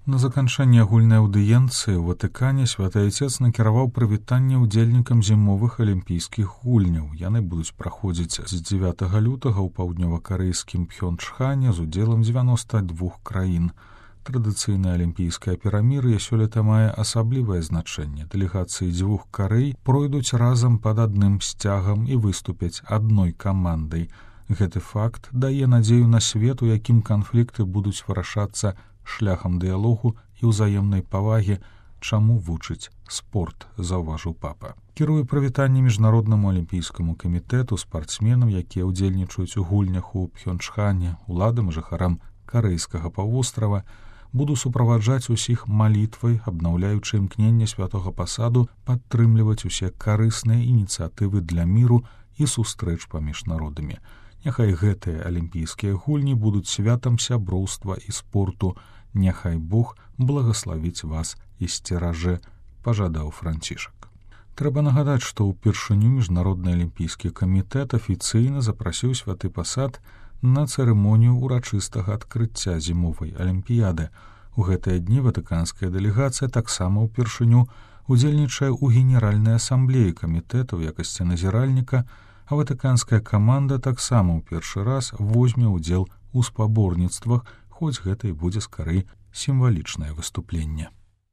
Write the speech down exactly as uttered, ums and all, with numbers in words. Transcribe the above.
На заканчэнне агульнай аўдыенцыі ў Ватыкане святы айцец накіраваў прывітанне ўдзельнікам зімовых алімпійскіх гульняў. Яны будуць праходзіць з дзевятага лютага ў паўднёва-карэйскім Пхёнчхане з удзелам дзевяноста двух краін. Традыцыйнае алімпійскае перамір'е сёлета мае асаблівае значэнне. Дэлегацыі дзвюх Карэй пройдуць разам пад адным сцягам і выступяць адной камандай. Гэты факт дае надзею на свет, у якім канфлікты будуць вырашацца шляхам дыялогу і ўзаемнай павагі, чаму вучыць спорт, заўважыў папа. Кіруе прывітанне міжнароднаму алімпійскаму камітэту спартсменам, якія ўдзельнічаюць у гульнях у Пхёнчхане, уладам і жыхарам карэйскага паўвострава, буду суправаджаць усіх малітвай, абнаўляючы імкненне святога пасаду падтрымліваць усе карысныя ініцыятывы для міру і сустрэч паміж народамі. Няхай гэтыя алімпійскія гульні будуць святам сяброўства і спорту. Няхай Бог благаславіць вас і сцеражэ, пажадаў Францішак. Трэба нагадаць, што ўпершыню міжнародны алімпійскі камітэт афіцыйна запрасіў святы пасад на цырымонію ўрачыстага адкрыцця зімовай алімпіяды. У гэтыя дні ватыканская дэлегацыя таксама ўпершыню удзельнічае ў генеральнай асамблеі камітэта ў якасці назіральніка, а ватыканская каманда таксама ў першы раз возьме ўдзел у спаборніцтвах, хоць гэта і будзе скарэй сімвалічнае выступленне.